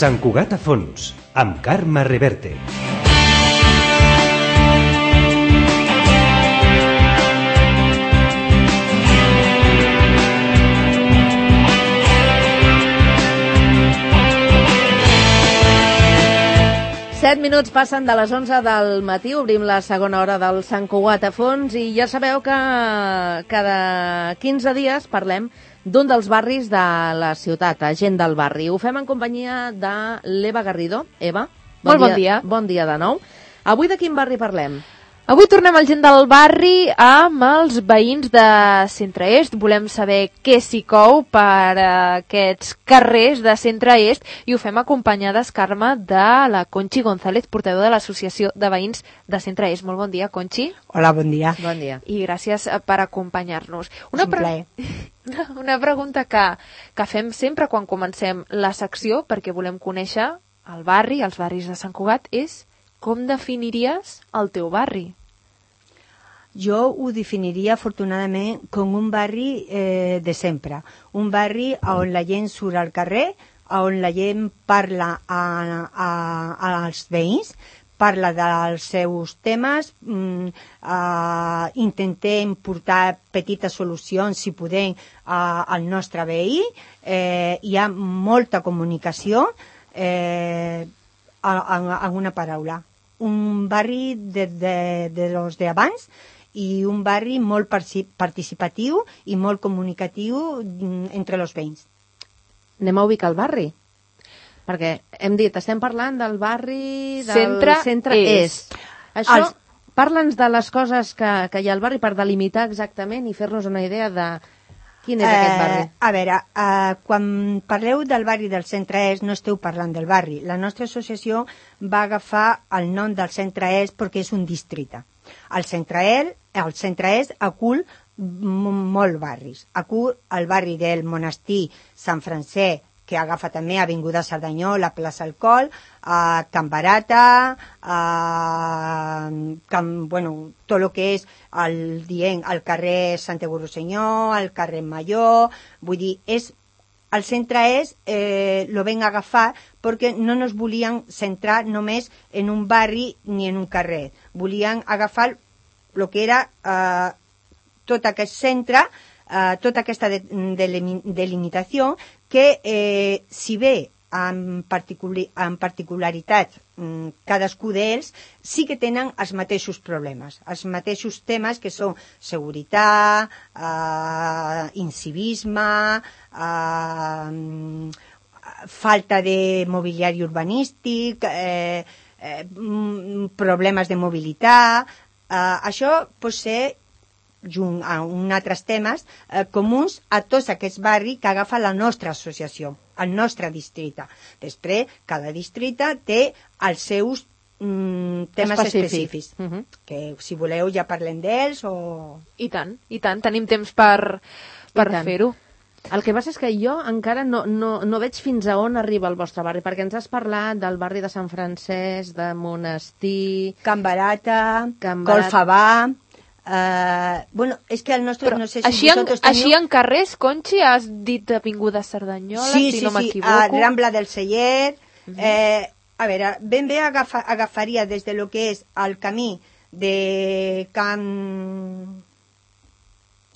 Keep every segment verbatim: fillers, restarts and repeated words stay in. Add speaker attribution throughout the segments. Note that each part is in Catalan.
Speaker 1: Sant Cugat a fons, amb Carme Reverte.
Speaker 2: Set minuts passen de les onze del matí, obrim la segona hora del Sant Cugat a fons i ja sabeu que cada quinze dies parlem d'un dels barris de la ciutat, gent del barri. Ho fem en companyia de l'Eva Garrido. Eva,
Speaker 3: bon Molt bon dia.
Speaker 2: Bon dia de nou. Avui de quin barri parlem?
Speaker 3: Avui tornem al gent del barri amb els veïns de Centre-Est. Volem saber què s'hi cou per aquests carrers de Centre-Est i ho fem acompanyades, Carme, de la Conchi González, portaveu de l'Associació de Veïns de Centre-Est. Molt bon dia, Conchi.
Speaker 4: Hola, bon dia.
Speaker 2: Bon dia.
Speaker 3: I gràcies per acompanyar-nos.
Speaker 4: Una, pre...
Speaker 3: una pregunta que, que fem sempre quan comencem la secció, perquè volem conèixer el barri, els barris de Sant Cugat, és com definiries el teu barri?
Speaker 4: Jo ho definiria afortunadament com un barri eh, de sempre, un barri on la gent surt al carrer, on la gent parla a, a, als veïns, parla dels seus temes, mm, uh, intentem portar petites solucions, si podem, uh, al nostre veí. Eh, hi ha molta comunicació, eh, en una paraula. Un barri de, de, de los de abans, i un barri molt participatiu i molt comunicatiu entre els veïns.
Speaker 2: Anem a ubicar el barri, perquè hem dit, estem parlant del barri del
Speaker 3: Centre-Est.
Speaker 2: Centre-Est. Això, Els... parla'ns de les coses que, que hi ha al barri per delimitar exactament i fer-nos una idea de quin és eh, aquest barri.
Speaker 4: A veure, eh, quan parleu del barri del Centre-Est no esteu parlant del barri. La nostra associació va agafar el nom del Centre-Est perquè és un districte. El Centre-Est, el Centre-Est acull molts barris. Acull el barri del Monestir, Sant Francesc, que agafa també Avinguda Cerdanyola, Plaça Alcohol, a Can Barata, a Can, bueno, tot el que és el, dient, el carrer Sant Eguru Senyor, el carrer Major, vull dir, és el Centre-Est eh, lo ven agafar perquè no nos volien centrar només en un barri ni en un carrer. Volien agafar el que era eh, tot aquest centre, eh, tota aquesta de, de, delimitació que, eh, si bé en, particular, en particularitat mm, cadascú d'ells, sí que tenen els mateixos problemes, els mateixos temes que són seguretat, eh, incivisme, eh, falta de mobiliari urbanístic, eh, eh, problemes de mobilitat. Eh, això pot ser, junt a uns altres temes, eh, comuns a tots aquests barris que agafa la nostra associació, el nostre districte. Després, cada districte té els seus mm, temes específics, uh -huh. que si voleu ja parlem d'ells o...
Speaker 3: I tant, i tant, tenim temps per, per fer-ho.
Speaker 2: El que passa és que jo encara no, no, no veig fins a on arriba el vostre barri, perquè ens has parlat del barri de Sant Francesc, de Monestir...
Speaker 4: Can Barata, Can Barata... Colfabà... Uh, bueno, és que el nostre...
Speaker 3: Però
Speaker 4: no sé si
Speaker 3: així, en,
Speaker 4: teniu...
Speaker 3: així en carrers, Conchi, has dit Avinguda Cerdanyola,
Speaker 4: sí,
Speaker 3: si
Speaker 4: sí,
Speaker 3: no
Speaker 4: sí.
Speaker 3: m'equivoco.
Speaker 4: Sí, sí, Rambla del Celler... Uh -huh. eh, a veure, ben bé agafa, agafaria des de lo que és el camí de Can...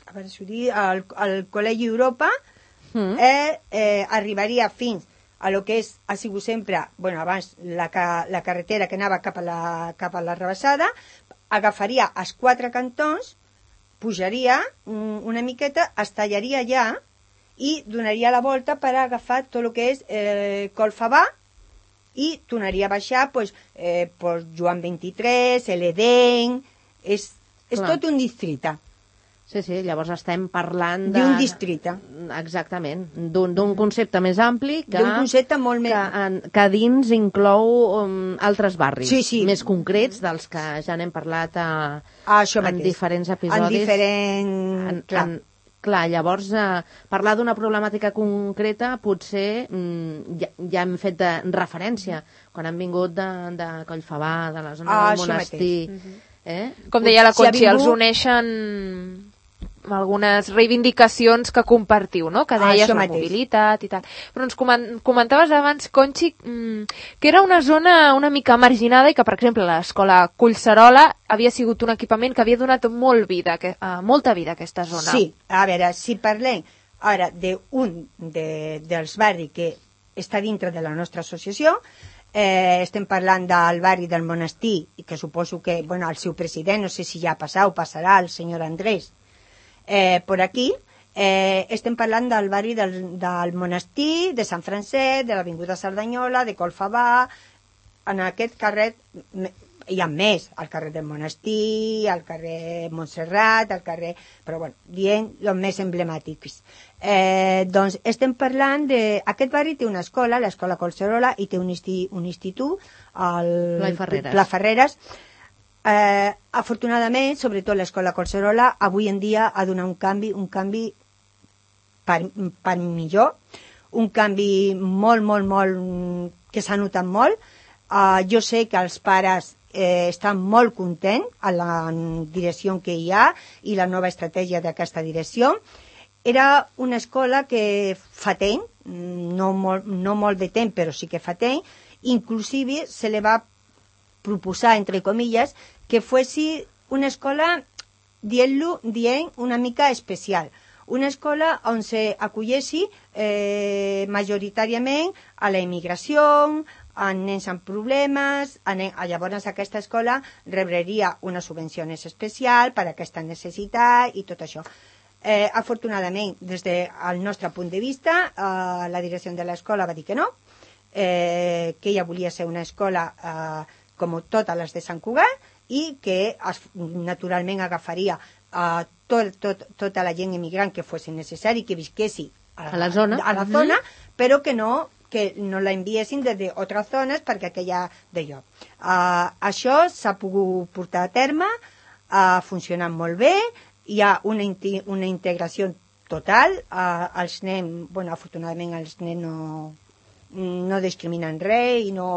Speaker 4: a veure si ho dic, al, al Col·legi Europa, uh -huh. eh, eh, arribaria fins a lo que és, ha sigut sempre, bueno, abans la, la carretera que anava cap a la, cap a la Rebassada, agafaria els quatre cantons, pujaria una miqueta, es tallaria allà i donaria la volta per agafar tot el que és eh, Colfabà i tornaria a baixar pues, eh, pues Joan vint-i-tres, l'Edén, és, és tot un districte.
Speaker 2: Sí, sí, llavors estem parlant de...
Speaker 4: d'un districte.
Speaker 2: Exactament, d'un concepte més ampli que,
Speaker 4: d'un concepte molt més...
Speaker 2: que, en, que dins inclou um, altres barris
Speaker 4: sí, sí.
Speaker 2: més concrets dels que ja n'hem parlat a,
Speaker 4: ah, en
Speaker 2: mateix. diferents episodis.
Speaker 4: En diferents...
Speaker 2: En, clar. En, clar, llavors eh, parlar d'una problemàtica concreta potser mm, ja, ja hem fet de referència quan han vingut de, de Collfabà, de la zona ah, del Monestir.
Speaker 3: Uh -huh. eh? Com deia la Conchi, si vingut... els uneixen... algunes reivindicacions que compartiu, no? Que deies
Speaker 4: Això
Speaker 3: la
Speaker 4: mateix.
Speaker 3: mobilitat i tal. Però ens comen- comentaves abans, Conxi, mm, que era una zona una mica marginada i que, per exemple, l'escola Collserola havia sigut un equipament que havia donat molt vida, que, uh, molta vida a aquesta zona.
Speaker 4: Sí, a veure, si parlem ara d'un de, dels barris que està dintre de la nostra associació, eh, estem parlant del barri del Monestir, i que suposo que bueno, el seu president, no sé si ja ha passat o passarà, el senyor Andrés, eh, per aquí, eh, estem parlant del barri del, del Monestir, de Sant Francesc, de l'Avinguda Cerdanyola, de Colfabà, en aquest carrer hi ha més, al carrer del Monestir, al carrer Montserrat, al carrer... però bueno, dient els més emblemàtics. Eh, doncs estem parlant de... Aquest barri té una escola, l'escola Collserola, i té un, isti, un institut, el
Speaker 2: Pla i Ferreres.
Speaker 4: Pla Ferreres. Eh, afortunadament, sobretot l'escola Collserola, avui en dia ha donat un canvi, un canvi per, per millor, un canvi molt, molt, molt, que s'ha notat molt. Uh, jo sé que els pares eh, estan molt contents a la direcció que hi ha i la nova estratègia d'aquesta direcció. Era una escola que fa temps, no molt, no molt de temps, però sí que fa temps, inclusive se li va proposar, entre comilles, que fossi una escola, dient-lo, dient una mica especial. Una escola on s'acollessi eh, majoritàriament a la immigració, a nens amb problemes, a nen... llavors aquesta escola rebreria una subvenció especial per a aquesta necessitat i tot això. Eh, afortunadament, des del nostre punt de vista, eh, la direcció de l'escola va dir que no, eh, que ella volia ser una escola eh, com totes les de Sant Cugat i que es, naturalment agafaria eh, tot, tot, tota la gent immigrant que fos necessari, que visquessi a,
Speaker 2: a la zona,
Speaker 4: a la zona mm-hmm. però que no que no la enviessin des d'altres zones perquè aquella d'allò. Uh, això s'ha pogut portar a terme, ha funcionat molt bé, hi ha una, una integració total, uh, els nens, bueno, afortunadament els nens no, no discriminen res i no,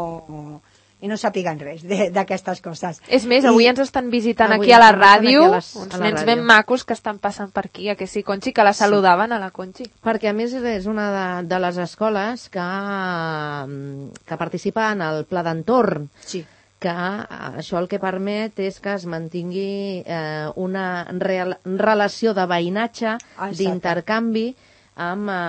Speaker 4: i no sàpiguen res d'aquestes coses.
Speaker 3: És més, avui I, ens estan visitant
Speaker 2: aquí
Speaker 3: a la ràdio a les, uns
Speaker 2: a
Speaker 3: nens
Speaker 2: ràdio.
Speaker 3: ben macos que estan passant per aquí, a que sí, Conxi, que la saludaven sí. a la Conxi.
Speaker 2: Perquè a més és una de, de les escoles que, que participa en el pla d'entorn.
Speaker 4: Sí.
Speaker 2: Que això el que permet és que es mantingui eh, una real, relació de veïnatge, ah, d'intercanvi amb eh,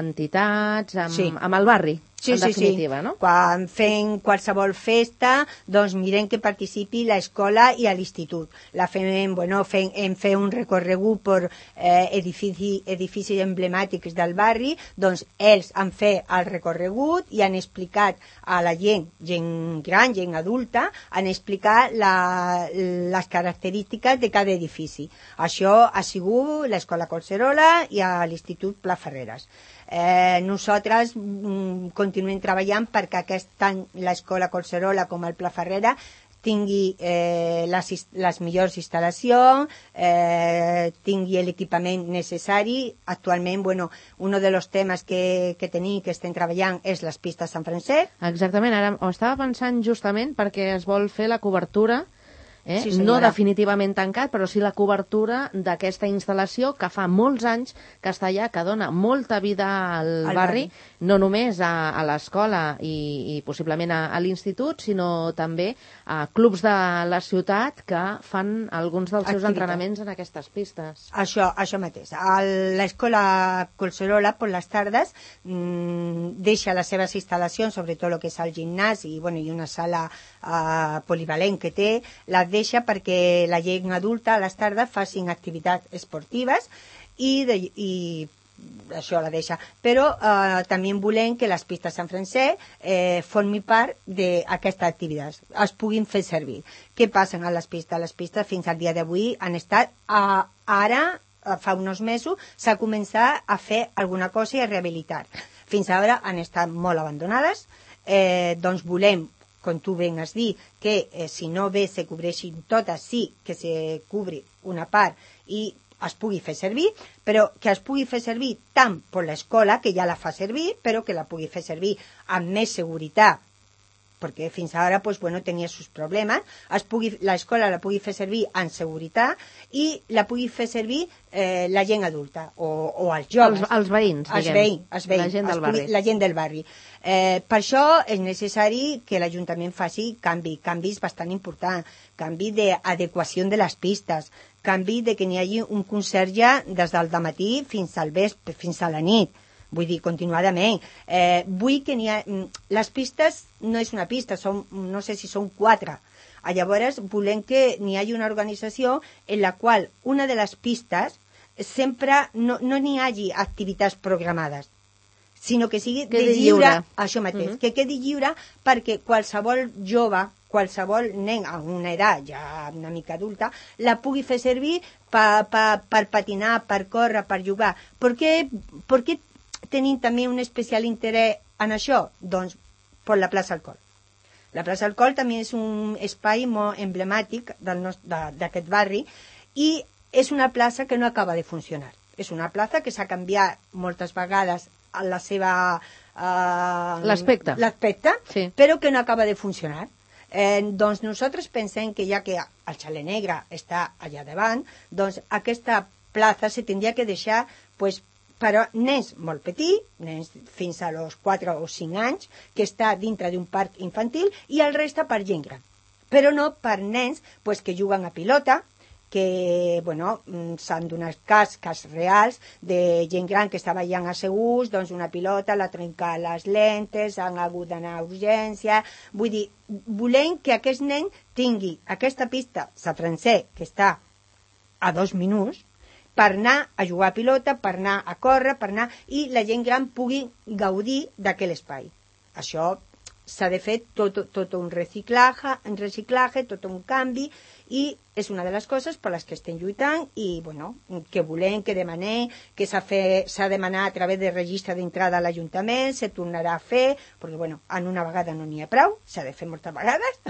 Speaker 2: entitats, amb, sí. amb el barri.
Speaker 4: Sí,
Speaker 2: en
Speaker 4: sí,
Speaker 2: definitiva,
Speaker 4: sí.
Speaker 2: No?
Speaker 4: Quan fem qualsevol festa, doncs mirem que participi l'escola i l'institut. La fem, bueno, fem, hem fet un recorregut per eh, edifici, edificis emblemàtics del barri, doncs ells han fet el recorregut i han explicat a la gent, gent gran, gent adulta, han explicat la, les característiques de cada edifici. Això ha sigut l'escola Collserola i l'institut Pla Ferreres. Eh, nosaltres mm, continuem treballant perquè aquest any l'escola Collserola com el Pla Ferrera tingui eh, les, les millors instal·lacions, eh, tingui l'equipament necessari. Actualment, bueno, un dels temes que, que tenim, que estem treballant, és les pistes Sant Francesc.
Speaker 2: Exactament, ara ho estava pensant justament perquè es vol fer la cobertura, eh?
Speaker 4: Sí,
Speaker 2: no definitivament tancat, però sí la cobertura d'aquesta instal·lació que fa molts anys que està allà, que dona molta vida al, al barri, barri, no només a, a l'escola i, i possiblement a, a l'institut, sinó també a clubs de la ciutat que fan alguns dels seus
Speaker 4: Activitat.
Speaker 2: entrenaments en aquestes pistes.
Speaker 4: Això, això mateix. L'escola Collserola, per les tardes, mmm, deixa les seves instal·lacions, sobretot el que és el gimnàs i, bueno, i una sala uh, polivalent que té, la deixa perquè la gent adulta a les tardes facin activitats esportives i, de, i això la deixa. Però eh, també volem que les pistes Sant Francesc eh, formi part d'aquesta activitat, es puguin fer servir. Què passa a les pistes? Les pistes fins al dia d'avui han estat, a, ara, fa uns mesos, s'ha començat a fer alguna cosa i a rehabilitar. Fins ara han estat molt abandonades, eh, doncs volem, com tu ben has dit, que eh, si no bé se cobreixin totes, sí que se cubri una part i es pugui fer servir, però que es pugui fer servir tant per l'escola, que ja la fa servir, però que la pugui fer servir amb més seguretat perquè fins ara pues, bueno, tenia sus problemes, l'escola la pugui fer servir en seguretat i la pugui fer servir eh, la gent adulta o, o els joves.
Speaker 2: Els, els veïns,
Speaker 4: els
Speaker 2: diguem.
Speaker 4: veïns, els veïns,
Speaker 2: la gent del
Speaker 4: pugui,
Speaker 2: barri.
Speaker 4: la gent del barri. Eh, per això és necessari que l'Ajuntament faci canvi, canvis bastant importants, canvi d'adequació de les pistes, canvi de que n'hi hagi un conserge des del dematí fins al vespre, fins a la nit. Vull dir, continuadament. Eh, vull que n'hi ha... Les pistes no és una pista, són, no sé si són quatre. Llavors, volem que n'hi hagi una organització en la qual una de les pistes sempre no n'hi no hagi activitats programades, sinó que sigui
Speaker 2: quedi
Speaker 4: de lliure,
Speaker 2: lliure.
Speaker 4: Això mateix,
Speaker 2: Uh-huh.
Speaker 4: que quedi lliure perquè qualsevol jove, qualsevol nen a una edat ja una mica adulta, la pugui fer servir per, per, per patinar, per córrer, per jugar. Per què, per què tenim també un especial interès en això? Doncs per la plaça Alcohol. La plaça Alcohol també és un espai molt emblemàtic del nostre, d'aquest barri i és una plaça que no acaba de funcionar. És una plaça que s'ha canviat moltes vegades a la seva... Uh,
Speaker 2: L'aspecte.
Speaker 4: L'aspecte,
Speaker 2: sí.
Speaker 4: Però que no acaba de funcionar. Eh, doncs nosaltres pensem que ja que el Xalet Negre està allà davant, doncs aquesta plaça se tindria que deixar pues, per a nens molt petits, nens fins a los quatre o cinc anys, que està dintre d'un parc infantil, i el resta per gent gran. Però no per nens pues, que juguen a pilota, que bueno, s'han donat cas, cas reals de gent gran que estava allà asseguts, doncs una pilota, l'ha trencat les lentes, han hagut d'anar a urgència. Vull dir, volem que aquest nen tingui aquesta pista, sa francès, que està a dos minuts, per anar a jugar a pilota, per anar a córrer, per anar... i la gent gran pugui gaudir d'aquell espai. Això s'ha de fer tot, tot un reciclatge, un reciclatge, tot un canvi, i és una de les coses per les que estem lluitant i bueno, que volem, que demanem, que s'ha de demanar a través del registre d'entrada a l'Ajuntament, se tornarà a fer, perquè bueno, en una vegada no n'hi ha prou, s'ha de fer moltes vegades.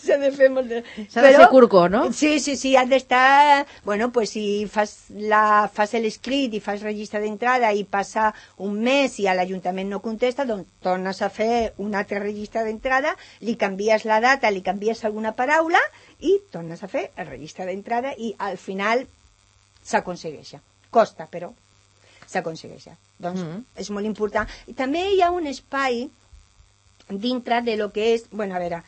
Speaker 4: S'ha de fer moltes...
Speaker 2: S'ha de ser curco, no?
Speaker 4: Sí, sí, sí, has d'estar... Bueno, pues si fas, la, fas l'escrit i fas registre d'entrada i passa un mes i a l'Ajuntament no contesta, doncs tornes a fer un altre registre d'entrada, li canvies la data, li canvies alguna paraula i tornes a fer el registre d'entrada i al final s'aconsegueix. Costa, però s'aconsegueix. Doncs mm-hmm. és molt important. I també hi ha un espai dintre de lo que és... Bueno, a veure,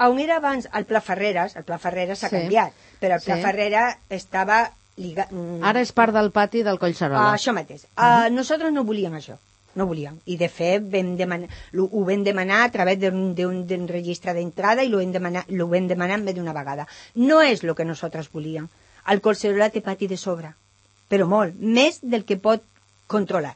Speaker 4: on era abans el Pla Ferreres, el Pla Ferreres s'ha
Speaker 2: sí.
Speaker 4: canviat, però el Pla sí. Ferreres estava... Liga...
Speaker 2: Ara és part del pati del Collserola.
Speaker 4: Uh, això mateix. Uh, mm-hmm. Nosaltres no volíem això. No volíem. I de fet vam demanar, ho vam demanar a través d'un registre d'entrada i ho vam demanar, ho vam demanar més d'una vegada. No és el que nosaltres volíem. El Collserola té pati de sobre, però molt, més del que pot controlar.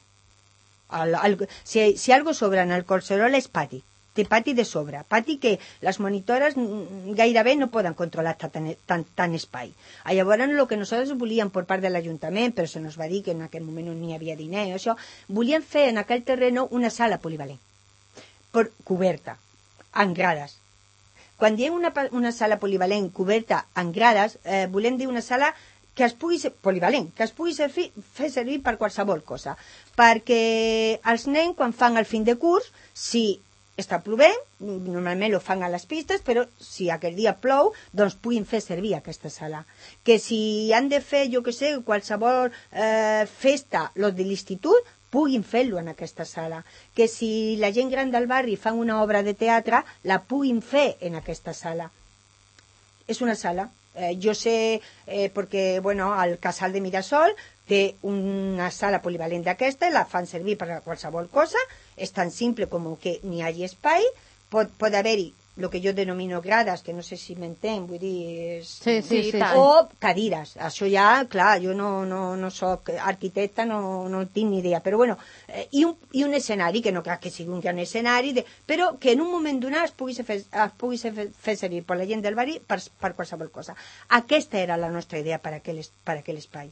Speaker 4: El, el, si, si algo sobra en el Collserola és pati. Té pati de sobre, pati que les monitores gairebé no poden controlar tant, tant, tant espai. Llavors, el que nosaltres volíem per part de l'Ajuntament, però se nos va dir que en aquell moment no n'hi havia diner, això, volíem fer en aquell terreno una sala polivalent, per, coberta, en grades. Quan diem una, una sala polivalent coberta en grades, eh, volem dir una sala que es pugui ser polivalent, que es pugui servir, fer servir per qualsevol cosa. Perquè els nens, quan fan el fin de curs, si està plovent, normalment ho fan a les pistes, però si aquell dia plou, doncs puguin fer servir aquesta sala. Que si han de fer, jo que sé, qualsevol eh, festa, los de l'institut, puguin fer-lo en aquesta sala. Que si la gent gran del barri fan una obra de teatre, la puguin fer en aquesta sala. És una sala. Eh, jo sé, eh, perquè, bueno, el Casal de Mirasol té una sala polivalent d'aquesta, la fan servir per a qualsevol cosa, és tan simple com que n'hi hagi espai, pot, pot haver-hi el que jo denomino grades, que no sé si m'entenc, vull dir... És...
Speaker 2: Sí, sí, sí, sí.
Speaker 4: O cadires. Això ja, clar, jo no, no, no soc arquitecta, no, no tinc ni idea, però bueno, eh, i, un, i un escenari, que no crec que sigui un gran escenari, de, però que en un moment donat es pugui fer, es pugui fer, fer servir per la gent del barri per, per qualsevol cosa. Aquesta era la nostra idea per aquell, per aquell espai.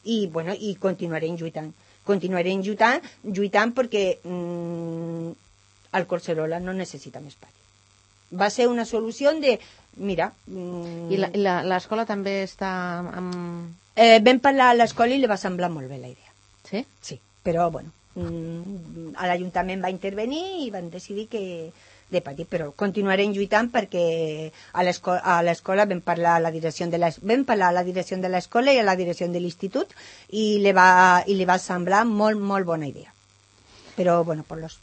Speaker 4: I, bueno, i continuarem lluitant. Continuarem lluitant, lluitant perquè mmm, el Collserola no necessita més pati. Va ser una solució de... Mira... Mmm,
Speaker 2: I l'escola també està amb...
Speaker 4: Eh, vam parlar a l'escola i li va semblar molt bé la idea.
Speaker 2: Sí?
Speaker 4: Sí, però, bueno, a l'Ajuntament va intervenir i van decidir que de patir, però continuarem lluitant perquè a l'escola vam parlar a la direcció de la, vam parlar a la direcció de l'escola i a la direcció de l'institut i li va, i li va semblar molt, molt bona idea. Però, bueno, por los,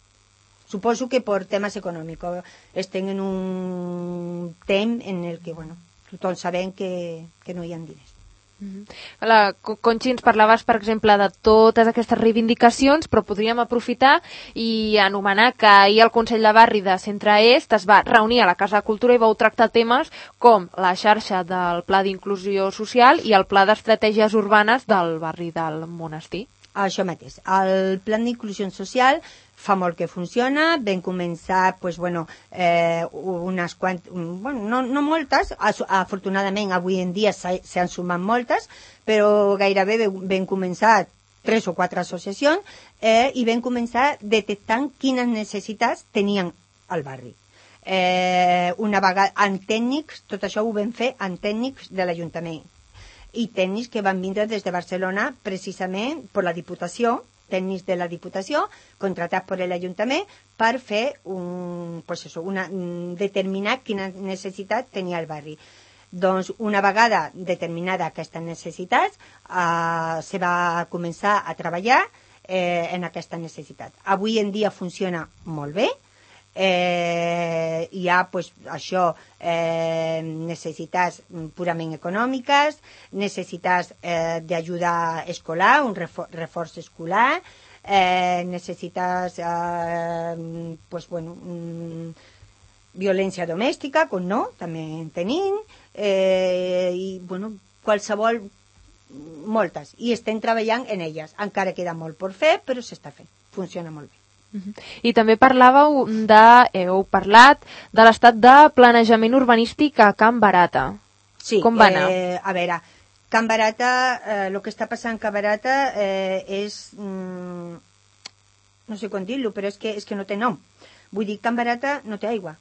Speaker 4: suposo que per temes econòmics estem en un temps en el que, bueno, tothom sabem que, que no hi ha diners.
Speaker 3: Mm-hmm. La Conxi, ens parlaves, per exemple, de totes aquestes reivindicacions, però podríem aprofitar i anomenar que ahir el Consell de Barri de Centre Est es va reunir a la Casa de Cultura i vau tractar temes com la xarxa del Pla d'Inclusió Social i el Pla d'Estratègies Urbanes del barri del Monestir.
Speaker 4: Això mateix. El Pla d'Inclusió Social fa molt que funciona, vam començar, pues, bueno, eh, unes quantes, bueno, no, no moltes, afortunadament avui en dia s'han sumat moltes, però gairebé vam començar tres o quatre associacions eh, i vam començar detectant quines necessitats tenien al barri. Eh, una vegada, amb tècnics, tot això ho vam fer amb tècnics de l'Ajuntament i tècnics que van vindre des de Barcelona precisament per la Diputació, tècnics de la Diputació, contratats per l'Ajuntament per fer un, pues eso, una, determinar quina necessitat tenia el barri. Doncs una vegada determinada aquestes necessitats, eh, se va començar a treballar eh, en aquesta necessitat. Avui en dia funciona molt bé. Eh, hi ha pues, això, eh, necessitats purament econòmiques, necessitats eh, d'ajuda escolar, un refor reforç escolar, eh, necessitats eh, pues, bueno, mm, violència domèstica, com no, també en tenim, eh, i bueno, qualsevol, moltes, i estem treballant en elles. Encara queda molt per fer, però s'està fent, funciona molt bé.
Speaker 3: I també parlàveu de, heu parlat de l'estat de planejament urbanístic a Can Barata.
Speaker 4: Sí,
Speaker 3: com va anar?
Speaker 4: Eh, a veure, Can Barata, eh, el que està passant a Can Barata eh, és, mm, no sé com dir-lo, però és que, és que no té nom. Vull dir, Can Barata no té aigua,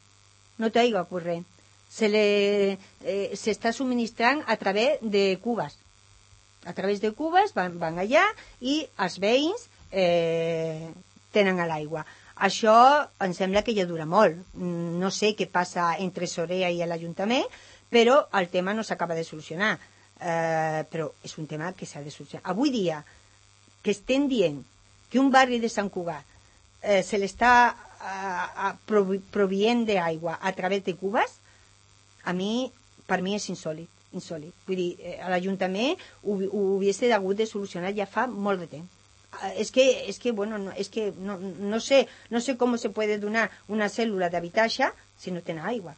Speaker 4: no té aigua corrent. Se le, eh, s'està subministrant a través de cubes. A través de cubes van, van allà i els veïns eh, tenen a l'aigua. Això em sembla que ja dura molt. No sé què passa entre Sorea i l'Ajuntament, però el tema no s'acaba de solucionar. Eh, però és un tema que s'ha de solucionar. Avui dia, que estem dient que un barri de Sant Cugat eh, se l'està eh, provient d'aigua a través de cubes, a mi, per mi és insòlit. insòlit. Vull dir, eh, l'Ajuntament ho, ho hagués hagut de solucionar ja fa molt de temps. Es que, es que, bueno, no, es que no, no sé, no sé cómo se puede donar una cèl·lula d'habitatge si no tenen aigua.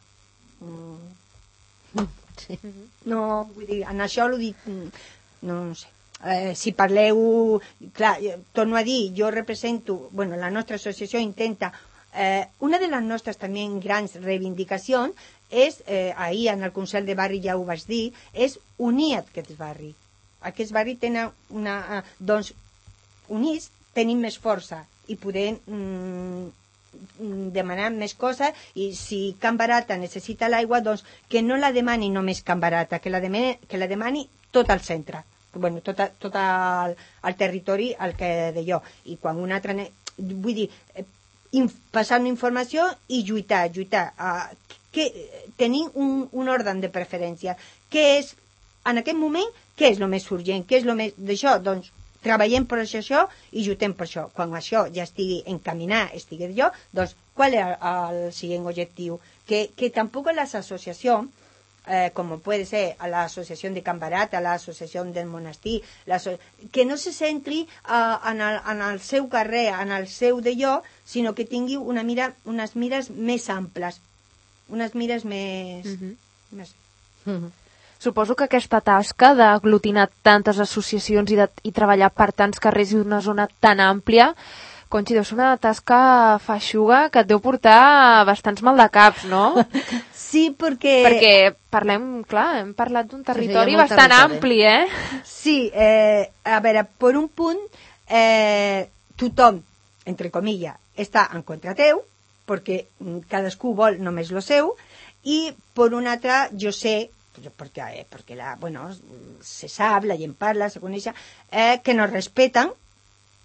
Speaker 4: Mm. Sí. No, vull dir, en això l'ho dic, no, no sé. Eh, si parleu, clar, torno a dir, jo represento, bueno, la nostra associació intenta, eh, una de les nostres també grans reivindicacions és, eh, ahir en el Consell de Barri ja ho vaig dir, és unir aquests barris. Aquests barris tenen una, doncs, units tenim més força i podem mm, demanar més coses, i si Can Barata necessita l'aigua, doncs que no la demani només Can Barata, que la demani, que la demani tot el centre, bueno, tot, a, tot el, el territori al que de jo. I quan una altra, vull dir, in, passar una informació i lluitar, lluitar, uh, que tenir un, un ordre de preferència. Què és, en aquest moment, què és el més urgent? Què és el més d'això? Doncs treballem per això i lluitem per això. Quan això ja estigui encaminat, estigui jo, doncs, qual és el següent objectiu? Que, que tampoc les associacions, eh, com pot ser a l'associació de Can Barata, a l'associació del Monestir, que no se centri eh, en, el, en el seu carrer, en el seu d'allò, sinó que tingui una mira, unes mires més amples, unes mires més... Mm-hmm. més...
Speaker 3: Mm-hmm. Suposo que aquesta tasca d'aglutinar tantes associacions i, de, i treballar per tants carrers i una zona tan àmplia, Conxi, deu ser una tasca feixuga que et deu portar bastants maldecaps, no?
Speaker 4: Sí, perquè...
Speaker 3: Perquè parlem, clar, hem parlat d'un territori
Speaker 2: sí, sí,
Speaker 3: bastant
Speaker 2: territori.
Speaker 3: ampli, eh?
Speaker 4: Sí, eh, a veure, per un punt, eh, tothom, entre comillas, està en contra teu, perquè cadascú vol només lo seu, i per un altre, jo sé, perquè, perquè la, bueno, se sap, la gent parla, se coneix, eh, que no respeten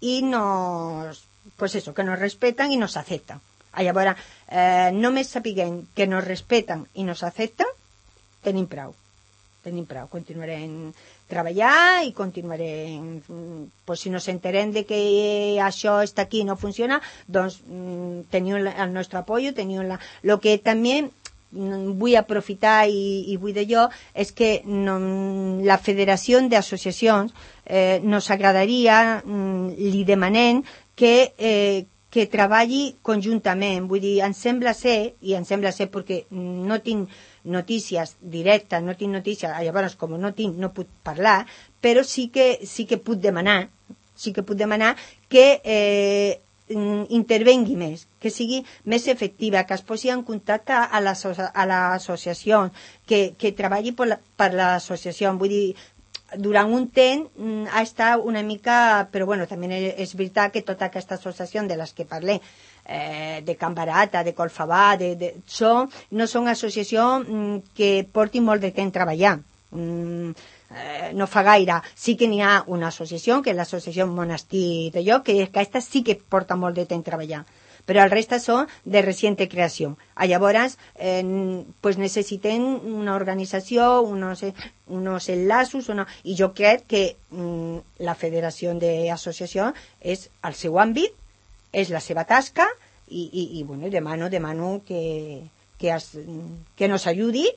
Speaker 4: y nos, pues eso, que nos respetan y nos aceptan. Llavors, eh, només sapiguem que nos respeten i nos accepten, tenim prou. Tenim prou. Continuarem treballar i continuarem, pues, si nos enterem de que això està aquí i no funciona, doncs teniu el nostre apoyo, teniu la... Lo que també vull aprofitar i, i vull dir jo és que no, la Federació d'Associacions eh, nos agradaria, li demanem que eh, que treballi conjuntament. Vull dir, em sembla ser, i em sembla ser perquè no tinc notícies directes, no tinc notícies, llavors com no tinc, no puc parlar, però sí que, sí que puc demanar, sí que puc demanar que eh, intervengui més, que sigui més efectiva, que es posi en contacte a l'associació, que, que treballi per, la, per l'associació. Vull dir, durant un temps ha estat una mica, però bueno, també és veritat que tota aquesta associació de les que parlem, eh, de Can Barata, de Colfabà, de, de, són, no són associacions que portin molt de temps treballant. Mm, eh, no fa gaire. Sí que n'hi ha una associació, que és l'associació Monestir de Lloc, que aquesta sí que porta molt de temps treballant, però el resta són de reciente creació. Llavors, eh, pues necessitem una organització, unos, unos enllaços, una... i jo crec que mm, la Federació d'Associacions és el seu àmbit, és la seva tasca, i, i, i bueno, demano, demano que, que, es, que nos ayudi,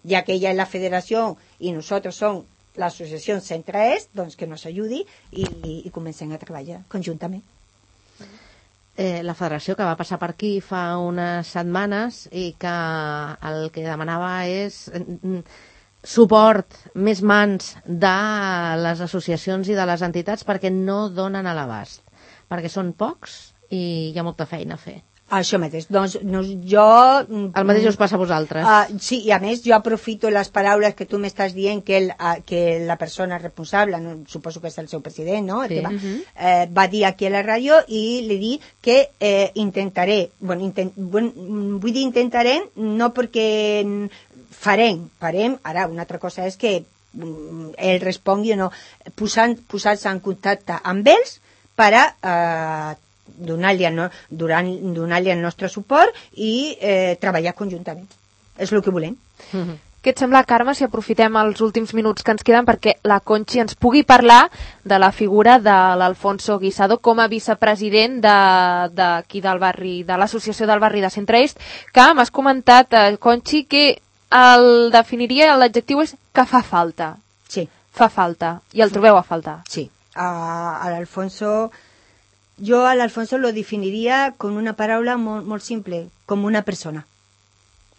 Speaker 4: ja que ella és la federació i nosaltres som l'associació Centre-Est, doncs que nos ayudi i, i, i comencem a treballar conjuntament.
Speaker 2: Eh, la federació que va passar per aquí fa unes setmanes i que el que demanava és mm, suport, més mans de les associacions i de les entitats perquè no donen a l'abast, perquè són pocs i hi ha molta feina a fer.
Speaker 4: Això mateix. Doncs no, jo...
Speaker 2: El mateix us passa a vosaltres.
Speaker 4: Uh, sí, i a més jo aprofito les paraules que tu m'estàs dient que, el, uh, que la persona responsable, no, suposo que és el seu president, no?
Speaker 2: Sí.
Speaker 4: Que va, uh-huh. eh, va dir aquí a la ràdio i li dic que eh, intentaré, bueno, intent, bueno, vull dir intentarem, no perquè farem, farem, ara una altra cosa és que ell respongui o no, posant, posar-se en contacte amb ells per a eh, donar-li el, donar el nostre suport i eh, treballar conjuntament. És el que volem.
Speaker 3: Mm-hmm. Què et sembla, Carme, si aprofitem els últims minuts que ens queden perquè la Conchi ens pugui parlar de la figura de l'Alfonso Guisado com a vicepresident d'aquí de, del barri, de l'associació del barri de Centre-Est, que m'has comentat, eh, Conchi, que el definiria, l'adjectiu és que fa falta.
Speaker 4: Sí.
Speaker 3: Fa falta. I el trobeu a faltar.
Speaker 4: Sí. A, a l'Alfonso... Jo a l'Alfonso lo definiria con una paraula molt, molt simple, com una persona.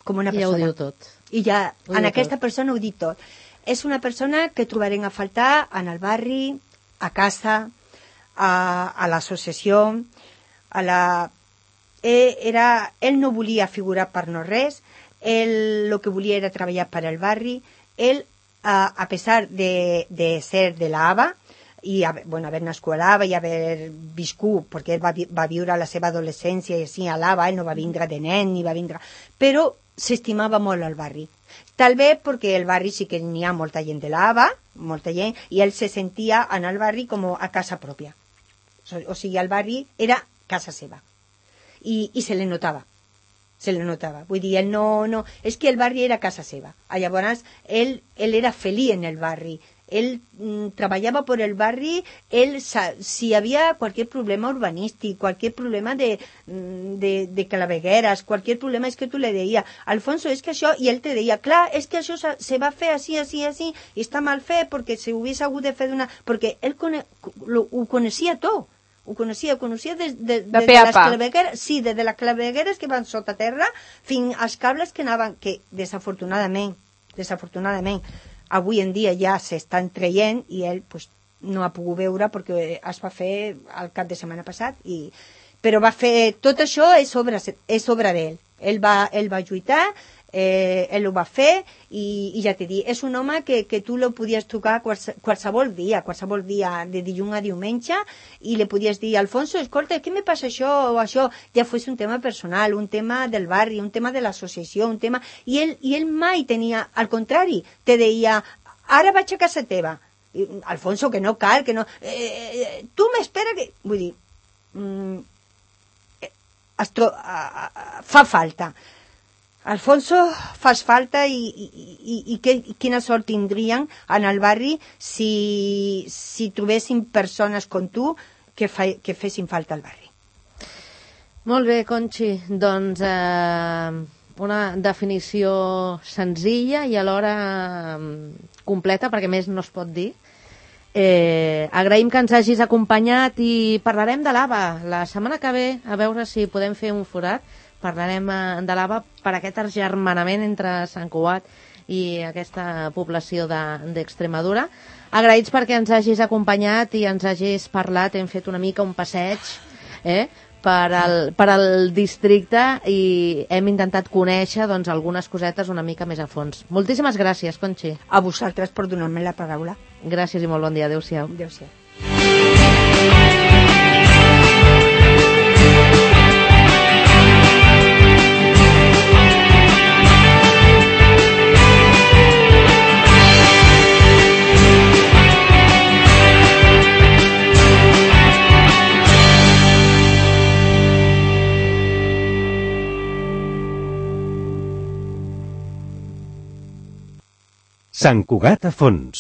Speaker 4: Com una persona.
Speaker 2: Ja ho diu tot.
Speaker 4: I ja,
Speaker 2: ho
Speaker 4: en aquesta
Speaker 2: tot.
Speaker 4: persona ho dic tot. És una persona que trobarem a faltar en el barri, a casa, a, a l'associació, a la... Ell, era, ell no volia figurar per no res, ell el que volia era treballar per al barri, ell, a, a pesar de, de ser de la A B A, i bueno, haver nascut a l'A B A i haver viscut, perquè ell va, va viure la seva adolescència i així a l'A B A, ell no va vindre de nen ni va vindre, però s'estimava molt el barri, tal bé perquè el barri sí que n'hi ha molta gent de l'A B A, molta gent, i ell se sentia en el barri com a casa pròpia, o sigui, el barri era casa seva i, i se li notava se li notava, vull dir, ell no, no és que el barri era casa seva, llavors ell, ell era feliç en el barri. Él mm, trabajaba por el barrio, él si había cualquier problema urbanístico, cualquier problema de, de, de clavegueras, cualquier problema es que tú le decías, Alfonso, es que això, i ell te deia, clar, és que això se va fer així, així, així, i està mal fet perquè se hubiese hagut de fer d'una... Perquè ell cone... lo, ho coneixia tot, ho coneixia, ho coneixia des de, de, de, de les clavegueres, sí, des de les clavegueres que van sota terra fins als cables que anaven, que desafortunadament, desafortunadament, avui en dia ja s'estan traient i ell pues, no ha pogut veure perquè es va fer el cap de setmana passat i... però va fer tot això és obra, és obra d'ell, ell va, ell va lluitar, eh, ell ho va fer i, i ja t'he dit, és un home que, que tu lo podies tocar quals, qualsevol dia, qualsevol dia de dilluns a diumenge i li podies dir, Alfonso, escolta, què me passa això o això, ja fos un tema personal, un tema del barri, un tema de l'associació, un tema... I ell, i ell mai tenia, al contrari, te deia, ara vaig a casa teva, I, Alfonso, que no cal, que no... Eh, tu m'espera que... Vull dir, mm, es tro... a, a, fa falta. Alfonso, fas falta i, i, i, i que, quina sort tindrien en el barri si, si trobessin persones com tu que, fa, que fessin falta al barri.
Speaker 2: Molt bé, Conxi. Doncs eh, una definició senzilla i alhora eh, completa, perquè més no es pot dir. Eh, agraïm que ens hagis acompanyat i parlarem de l'Ava la setmana que ve, a veure si podem fer un forat. Parlarem de l'Ava per aquest agermanament entre Sant Cugat i aquesta població d'Extremadura. Agraïts perquè ens hagis acompanyat i ens hagis parlat, hem fet una mica un passeig eh, per, al, per al districte i hem intentat conèixer doncs, algunes cosetes una mica més a fons. Moltíssimes gràcies, Conxi.
Speaker 4: A vosaltres per donar-me la paraula.
Speaker 2: Gràcies i molt bon dia. Adéu-siau.
Speaker 4: Adéu-siau.
Speaker 1: Sant Cugat a fons.